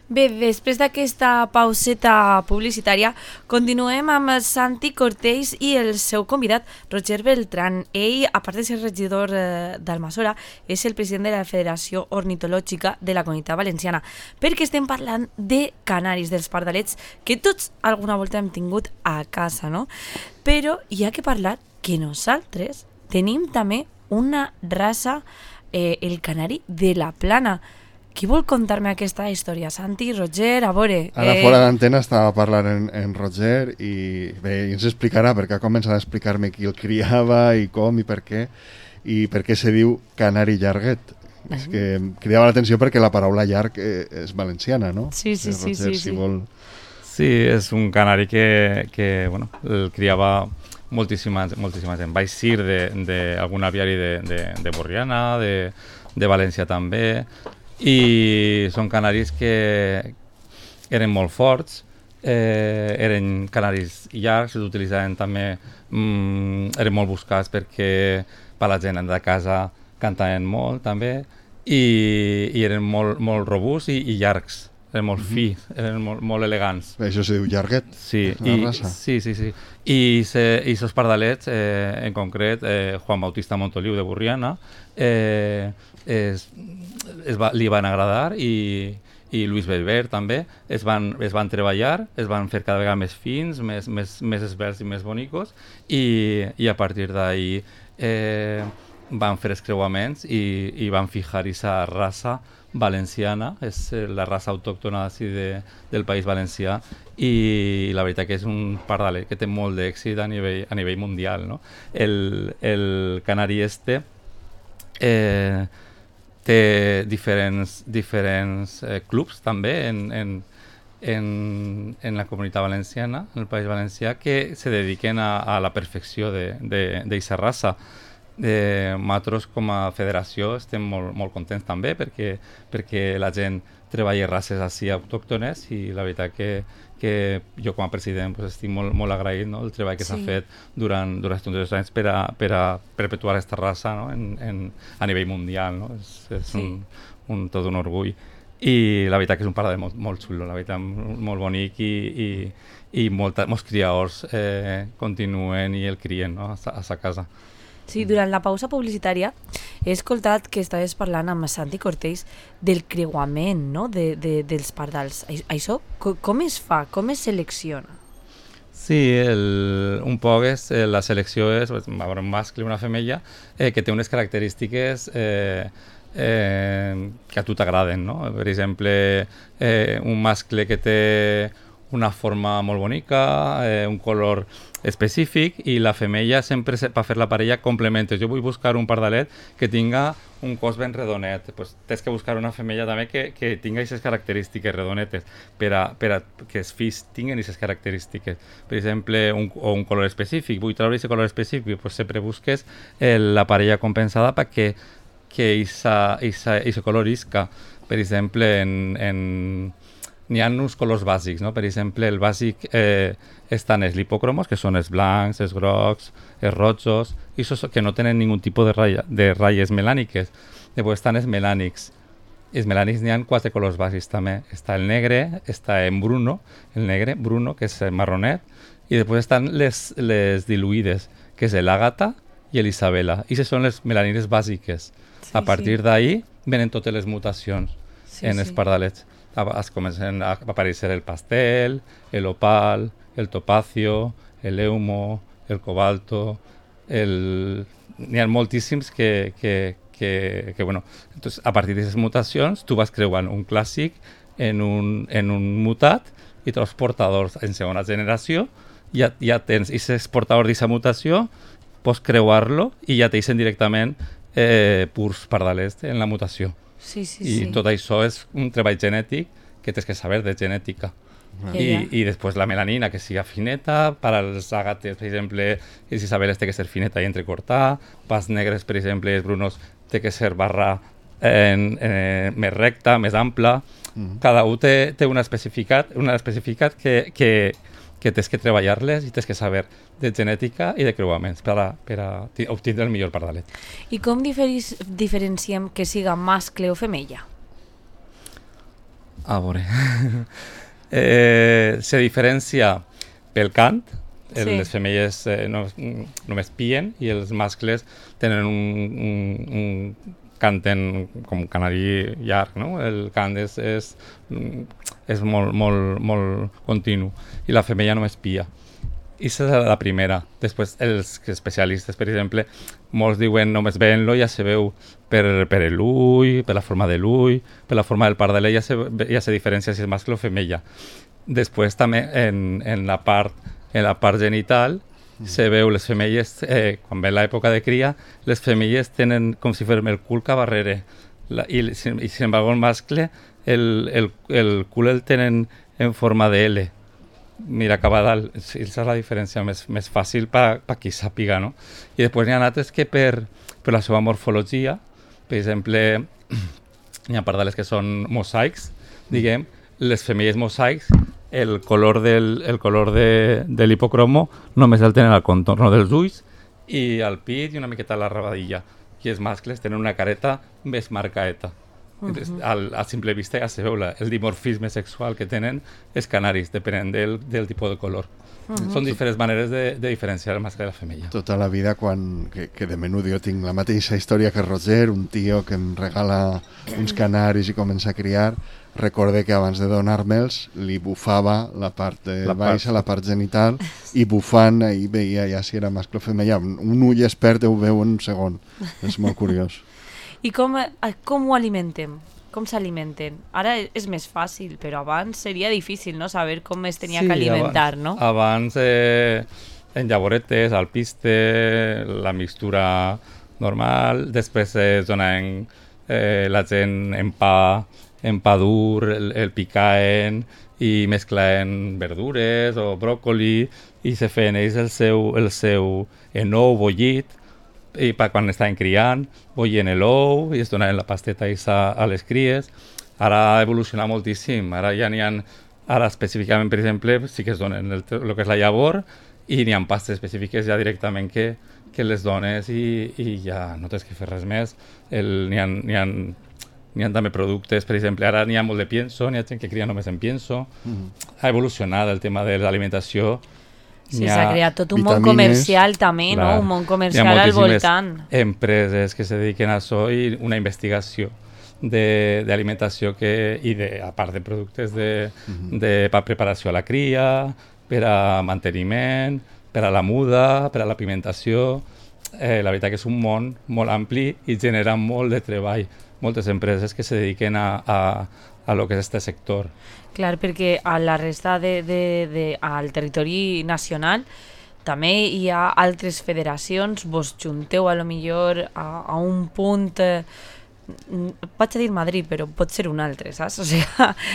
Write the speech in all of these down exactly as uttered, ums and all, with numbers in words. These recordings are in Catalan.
Bé, després d'aquesta pauseta publicitària, continuem amb Santi Cortells i el seu convidat, Roger Beltrán. Ell, a part de ser regidor eh, d'Almassora, és el president de la Federació Ornitològica de la Comunitat Valenciana, perquè estem parlant de canaris, dels pardalets, que tots alguna volta hem tingut a casa, no? Però hi ha que parlar que nosaltres tenim també una raça, eh, el canari de la Plana. Qui vol contar-me aquesta història? Santi, Roger, a veure... Ara eh... fora d'antena estava parlant en, en Roger i bé, ens explicarà, perquè ha començat a explicar-me qui el criava i com i per què, i per què se diu canari llarguet. Uh-huh. És que em cridava l'atenció perquè la paraula llarg eh, és valenciana, no? Sí, sí, sí. Roger, sí, si sí. vol... Sí, és un canari que, que bueno, el criava moltíssima, moltíssima gent. Vaig ser d'algun aviari de, de, de Borriana, de, de València també, i són canaris que eren molt forts, eh, eren canaris llargs, s'utilitzaven també, mm, eren molt buscats perquè per la gent de casa cantaven molt també, i, i eren molt, molt robusts i, i llargs, eren molt fi, eren molt, molt elegants. Bé, això se diu llarguet, sí, la i, raça. Sí, sí, sí. I aquests pardalets, eh, en concret, eh, Juan Bautista Montoliu de Borriana, eh, es, es va, li van agradar i, i Luis Belver també, es van, es van treballar, es van fer cada vegada més fins, més, més, més esberts i més bonicos, i, i a partir d'ahí eh, van fer els creuaments i, i van fijar aquesta raça valenciana, és la raça autòctona de, del País Valencià, i la veritat que és un pardalet que té molt d'èxit a nivell, a nivell mundial, no? El, el canari este eh, té diferents, diferents eh, clubs també en, en, en, en la comunitat valenciana, en el País Valencià, que se dediquen a, a la perfecció d'aquesta raça. Eh, nosaltres com a federació estem molt, molt contents també perquè, perquè la gent treballa races així autòctones, i la veritat que, que jo com a president pues, estic molt, molt agraït, no? El treball que s'ha sí. fet durant, durant aquests dos anys per a, per a perpetuar aquesta raça, no? en, en, a nivell mundial, no? És, és sí. un, un, tot un orgull, i la veritat que és un pardalet molt, molt xulo, la veritat, molt bonic, i, i, i molta, molts criadors eh, continuen i el crien, no? a, a sa casa. Sí, durant la pausa publicitària he escoltat que estaves parlant amb Santi Cortells del creuament, no? de, de, dels pardals. Això com es fa? Com es selecciona? Sí, el, un poc és, eh, la selecció és un mascle i una femella eh, que té unes característiques eh, eh, que a tu t'agraden, no? Per exemple, eh, un mascle que té una forma molt bonica, eh, un color específic, i la femella sempre per fer la parella complementes. Jo vull buscar un pardalet que tinga un cos ben redonet, pues tens que buscar una femella també que, que tinga aquestes característiques redonetes per a, per a que els fills tinguin aquestes característiques. Per exemple, un, o un color específic. Vull treure aquest color específic, pues sempre busques el, la parella compensada perquè que aquest color isca. Per exemple, en, en n'hi ha uns colors bàsics, no? Per exemple, el bàsic eh, estan els lipocromos, que són els blancs, els grocs, els rojos, i que no tenen ningun tipus de, ratlla, de ratlles melàniques. Després estan els melànics. Els melànics n'hi ha quatre colors bàsics també. Està el negre, està en bruno, el negre, bruno, que és el marronet, i després estan les, les diluïdes, que és l'àgata i l'isabela. I aquestes són les melanines bàsiques. Sí, a partir sí. d'ahí venen totes les mutacions sí, en els sí. pardalets. Es comencen a aparèixer el pastel, el opal, el topacio, el eumo, el cobalto, el... n'hi ha moltíssims que, que, que, que bueno, entonces, a partir d'aquestes mutacions tu vas creuant un clàssic en un, en un mutat, i tots els portadors en segona generació ja, ja tens aquest portador d'aquesta mutació, pots creuar-lo i ja t'eixen directament eh, purs pardalets en la mutació. Sí, sí, I sí. tot això és un treball genètic que tens que saber de genètica. Ah. I, I després la melanina, que siga fineta, per als àgates, per exemple, els isabeles té que ser fineta i entrecortar, pels negres, per exemple, els brunos té que ser barra en, en, més recta, més ampla. Mm. Cada un té, té una especificat, una especificat que, que, que tens que treballar-les i tens que saber de genètica i de creuaments per a, per a obtindre el millor pardalet. I com diferis, diferenciem que siga mascle o femella? A veure... eh, se diferencia pel cant. Sí. Les femelles eh, no, només pien i els mascles tenen un, un, un canten com un canari llarg, no? El cant és, és, és molt, molt, molt continu i la femella només pia. I és la primera. Després, els especialistes, per exemple, molts diuen només veient-lo ja se veu per, per l'ull, per la forma de l'ull, per la forma del pardalet, ja se, ja se diferencia si és mascle o femella. Després també en, en la part en la part genital mm. se veu les femelles, eh, quan ve l'època de cria, les femelles tenen com si fos el cul cap darrere. La, i, i sin embargo el mascle, el, el, el cul el tenen en forma de L. Mira, cap a dalt. Aquesta és la diferència més, més fàcil per pa qui sàpiga, no? I després n'hi ha altres que per, per la seva morfologia, per exemple, n'hi ha pardales que són mosaics, diguem, les femelles mosaics, el color del el color de, de l'hipocromo només el tenen al contorno dels ulls i al pit i una miqueta a la rabadilla. I els mascles tenen una careta més marcaeta. Uh -huh. al, a simple vista ja se veu la, el dimorfisme sexual que tenen els canaris, depenent del, del tipus de color. Uh -huh. Són diferents maneres de, de diferenciar el mascle de la femella. Tota la vida, quan, que, que de menut jo tinc la mateixa història que Roger, un tio que em regala uns canaris i comença a criar, recorde que abans de donar-me'ls li bufava la part de la baixa, part. la part genital, i bufant ahí veia ja si era mascle o femella. Un ull expert ho veu en un segon. És molt curiós. I com, com ho alimentem? Com s'alimenten? Ara és més fàcil, però abans seria difícil, no?, saber com es tenia sí, que alimentar, abans, no? Abans, eh, en llavoretes, al piste, la mixtura normal, després es donaven eh, la gent en pa, en pa dur, el, el picaen i mesclaven verdures o bròcoli i se feien ells el seu, el seu enou bullit i per quan estaven criant, bollien l'ou i es donaven la pasteta a, a les cries. Ara ha evolucionat moltíssim, ara ja n'hi ha, ara específicament, per exemple, sí que es donen el, el que és la llavor i n'hi ha pastes específiques ja directament que, que les dones i, i ja no tens que fer res més. El, n'hi ha, n'hi ha, n'hi ha també productes, per exemple, ara n'hi ha molt de pienso, n'hi ha gent que cria només en pienso. Mm. Ha evolucionat el tema de l'alimentació. Sí, s'ha creat tot un món comercial també, clar, no? Un món comercial al voltant. Hi ha empreses que se dediquen a això i una investigació d'alimentació que, i de, a part de productes de, uh-huh. de per preparació a la cria, per a manteniment, per a la muda, per a la pigmentació. Eh, la veritat que és un món molt ampli i genera molt de treball. Moltes empreses que se dediquen a, a, a lo que és este sector. Clar, perquè a la resta de, de, de, al territori nacional també hi ha altres federacions, vos junteu a lo millor a, a un punt, eh, vaig a dir Madrid, però pot ser un altre, saps? O sigui,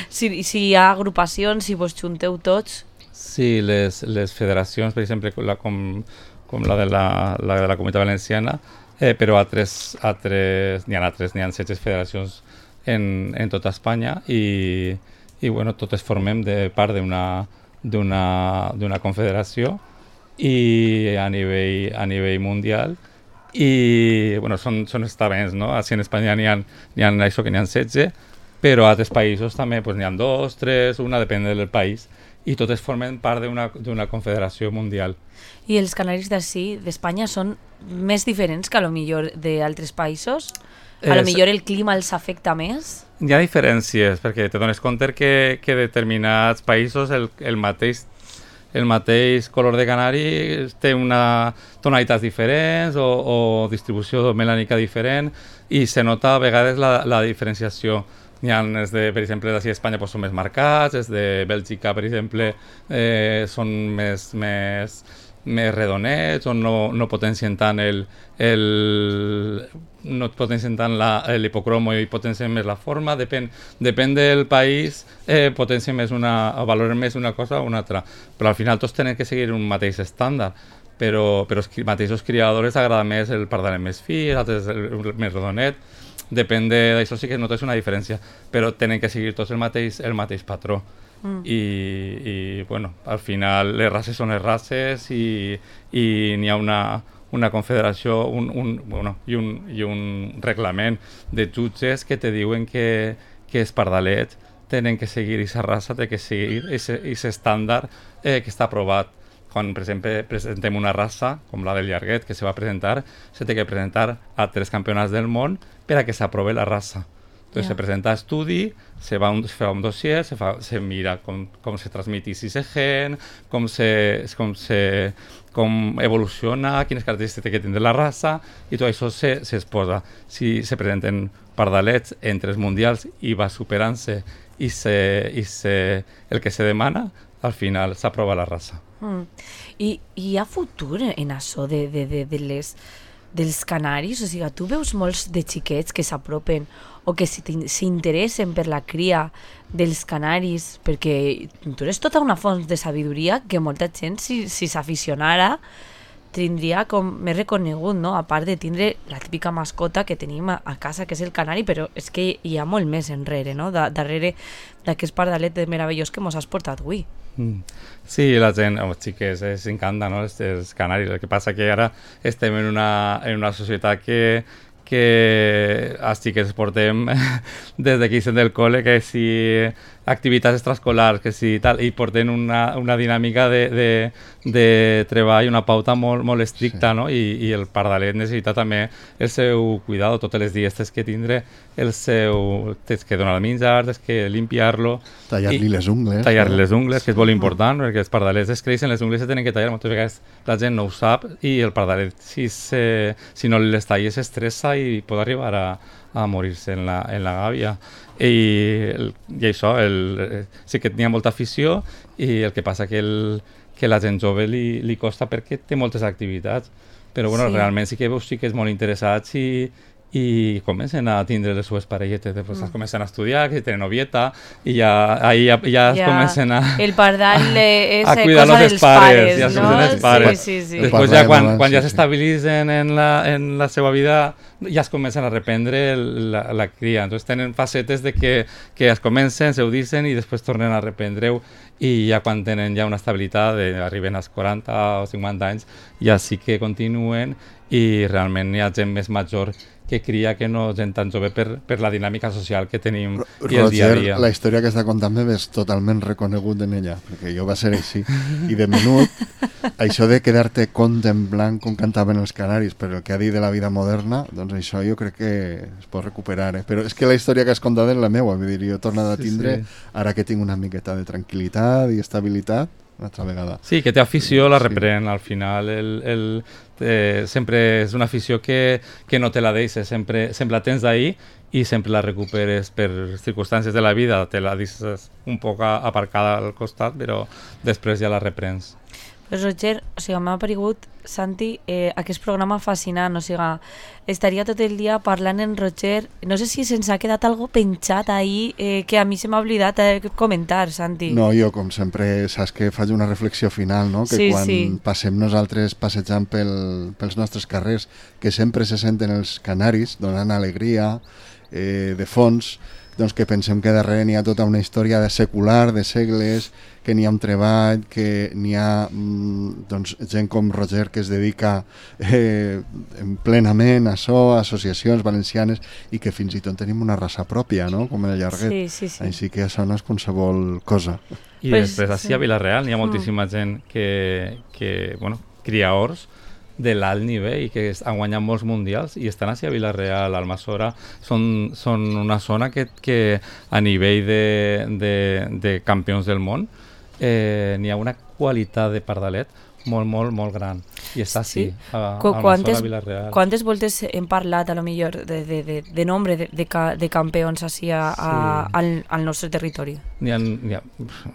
si, si hi ha agrupacions, si vos junteu tots... Sí, les, les federacions, per exemple, la, com, com la de la, la de la Comunitat Valenciana, eh, però altres, altres, n'hi ha altres, n'hi ha setze federacions en, en tota Espanya i, i bueno, totes formem de part d'una d'una confederació i a nivell, a nivell mundial i bueno, són, són estaments, no? Així en Espanya n'hi ha, n'hi ha això que n'hi ha setze, però a altres països també pues, n'hi ha dos, tres, una, depèn del país, i totes formen part d'una confederació mundial. I els canaris d'ací, d'Espanya, són més diferents que a lo millor d'altres països? A lo millor el clima els afecta més? Hi ha diferències, perquè te dones compte que, que determinats països el, el, mateix, el mateix color de canari té una tonalitats diferents o, o distribució melànica diferent i se nota a vegades la, la diferenciació. N'hi ha, els de, per exemple, d'ací d'Espanya pues, són més marcats, els de Bèlgica, per exemple, eh, són més, més, més redonets o no, no potencien tant el, el no potencien tant l'hipocromo i potencien més la forma, depèn, depèn del país, eh, potencien més una, valoren més una cosa o una altra, però al final tots tenen que seguir un mateix estàndard, però, però els mateixos criadors agrada més el pardalet més fi, altres el, el més redonet, depèn d'això, sí que notes una diferència, però tenen que seguir tots el mateix, el mateix patró. Mm. I, i bueno, al final les races són les races i, i n'hi ha una, una confederació un, un, bueno, i, un, i un reglament de jutges que te diuen que, que els pardalets tenen que seguir aquesta raça, té que seguir aquest estàndard eh, que està aprovat. Quan, per exemple, presentem una raça, com la del llarguet, que se va presentar, se té que presentar a tres campionats del món per a que s'aprove la raça. Entonces, yeah. se presenta a estudi, se, va un, se fa un dossier, se, fa, se mira com, com se transmetís ese gen, com, se, com, se, com evoluciona, quines característiques té que tindre la raça, i tot això se, se exposa. Si se presenten pardalets entre els mundials i va superant-se i, se, i se, el que se demana, al final s'aprova la raça. Mm. I, I hi ha futur en això de, de, de, de les, dels canaris? O sigui, tu veus molts de xiquets que s'apropen o que s'interessen per la cria dels canaris, perquè tu eres tota una font de sabidoria que molta gent, si, si s'aficionara, tindria com més reconegut, no? A part de tindre la típica mascota que tenim a, a casa, que és el canari, però és que hi ha molt més enrere, no? Da, darrere d'aquest pardalet meravellós que mos has portat avui. Mm. Sí, la gent, els xiquets, els encanta, no? Els, els canaris. El que passa que ara estem en una, en una societat que que els xiquets portem des que hi del col·le, que si activitats extraescolars, que si tal, i porten una, una dinàmica de, de, de treball, una pauta molt, molt estricta, sí. No? I, i el pardalet necessita també el seu cuidado, totes les dies tens que tindre el seu... tens que donar el menjar, tens que limpiar-lo... Tallar-li les ungles. Tallar-li les ungles, que és molt important, perquè els pardalets es creixen, les ungles se tenen que tallar, moltes vegades la gent no ho sap, i el pardalet, si, se, si no les talles, s'estressa i pot arribar a, a morir-se en la, en la gàbia. I, i això, el, sí que tenia molta afició, i el que passa que, el, que la gent jove li, li costa perquè té moltes activitats, però bueno, sí. Realment sí que veus sí que és molt interessats i, i comencen a tindre les seves parelletes, després mm. comencen a estudiar, que tenen novieta, i ja, ahí ja, ja, ja comencen a... El pardal és a cuidar cosa dels dels pares, pares, ja no? Els pares. Sí, sí, sí. Després ja quan, quan ja sí, s'estabilitzen en la, en la seva vida, ja es comencen a reprendre el, la, la cria. Entonces tenen facetes de que, que es comencen, se ho dicen i després tornen a reprendre-ho, i ja quan tenen ja una estabilitat, de, arriben als quaranta o cinquanta anys, ja sí que continuen, i realment hi ha gent més major que cria que no gent tan jove per, per la dinàmica social que tenim i el dia a dia. Roger, la història que està contant me ves totalment reconegut en ella, perquè jo va ser així. I de menut, això de quedar-te compte en blanc com cantaven els canaris, però el que ha dit de la vida moderna, doncs això jo crec que es pot recuperar. Eh? Però és que la història que has contat és la meva, vull dir, jo he tornat a tindre, sí, sí. Ara que tinc una miqueta de tranquil·litat i estabilitat, una altra vegada. Sí, que té afició, la reprèn, sí. Al final el, el, eh, sempre és una afició que, que no te la deixes, sempre, sempre la tens d'ahir i sempre la recuperes per circumstàncies de la vida, te la deixes un poc aparcada al costat, però després ja la reprens. Pues Roger, o sigui, m'ha aparegut, Santi, eh, aquest programa fascinant, o sigui, estaria tot el dia parlant en Roger, no sé si se'ns ha quedat algo penjat ahir eh, que a mi se m'ha oblidat eh, comentar, Santi. No, jo com sempre saps que faig una reflexió final, no? Que sí, quan sí. passem nosaltres passejant pel, pels nostres carrers, que sempre se senten els canaris donant alegria eh, de fons, doncs que pensem que darrere n'hi ha tota una història de secular, de segles, que n'hi ha un treball, que n'hi ha doncs, gent com Roger que es dedica eh, plenament a això, associacions valencianes, i que fins i tot tenim una raça pròpia, no? Com el llarguet. Sí, sí, sí. Així que això no és qualsevol cosa. I pues, després, així sí. A Vila-real n'hi ha moltíssima gent que, que bueno, cria horts de l'alt nivell i que han guanyat molts mundials i estan així a Vila-real, Almassora, són, són una zona que, que a nivell de, de, de campions del món eh, n'hi ha una qualitat de pardalet molt, molt, molt gran. I està així, sí. a, a Almassora, a Vila-real. Quantes voltes hem parlat, a lo millor, de, de, de, de nombre de, de, de campions així a, sí. a, al, al nostre territori? N'hi ha, n'hi ha,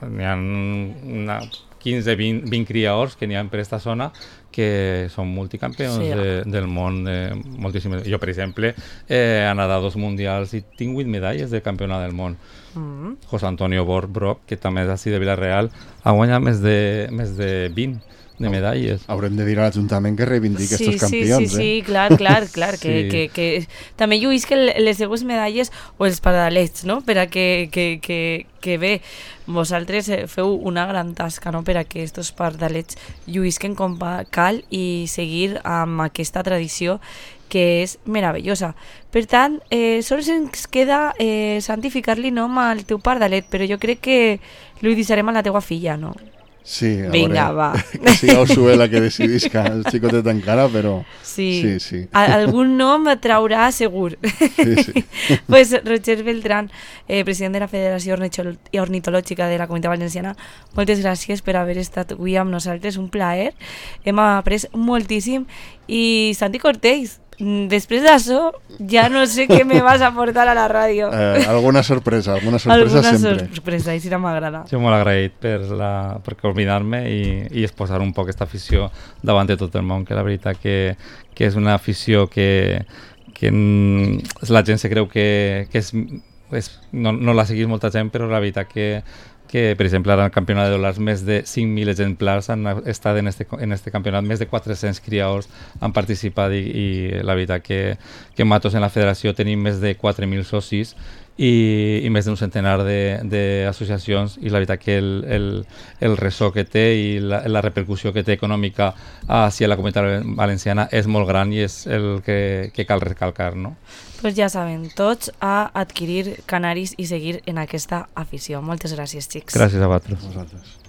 n'hi ha una quinze vint, vint criadors que n'hi ha per aquesta zona que són multicampions sí. de, del món. De moltíssimes. Jo, per exemple, eh, he anat a dos mundials i tinc vuit medalles de campionat del món. Mm. José Antonio Brock, que també és així de Vila-real, ha guanyat més de, més de vint de medalles. Haurem de dir a l'Ajuntament que reivindiqui sí, aquests campions. Sí, sí, eh? sí, clar, clar, clar. sí. que, que, que també lluïsc les seues medalles o els pardalets, no? Per a que, que, que, que bé, vosaltres feu una gran tasca, no? Per a que aquests pardalets lluïsquen com cal i seguir amb aquesta tradició que és meravellosa. Per tant, eh, sols ens queda eh, santificar-li nom al teu pardalet, però jo crec que li deixarem a la teua filla, no? Sí, a Vinga, veure, va. que siga Usué la que decidisca el xicotet encara, però Sí, sí, sí. A algun nom traurà segur. Sí, sí. Pues Roger Beltrán, eh, president de la Federació Ornitol- Ornitològica de la Comunitat Valenciana, moltes gràcies per haver estat avui amb nosaltres, un plaer. Hem après moltíssim. I Santi Cortés, després d'això ja no sé què me vas a portar a la ràdio. Eh, alguna sorpresa, alguna sorpresa Alguna sempre. sorpresa, i si no m'agrada. Jo molt agraït per, la, per convidar-me i, i exposar un poc aquesta afició davant de tot el món, que la veritat que, que és una afició que, que mm, la gent se creu que, que és, és, no, no la seguís molta gent, però la veritat que que, per exemple, ara al campionat de dòlars més de cinc mil exemplars han estat en este, en este campionat, més de quatre-cents criadors han participat i, i la veritat que, que en Matos en la federació tenim més de quatre mil socis i, i més d'un centenar d'associacions i la veritat que el, el, el ressò que té i la, la repercussió que té econòmica hacia la comunitat valenciana és molt gran i és el que, que cal recalcar, no? Pues ja saben, tots a adquirir canaris i seguir en aquesta afició. Moltes gràcies, xics. Gràcies a vosaltres. Vosaltres.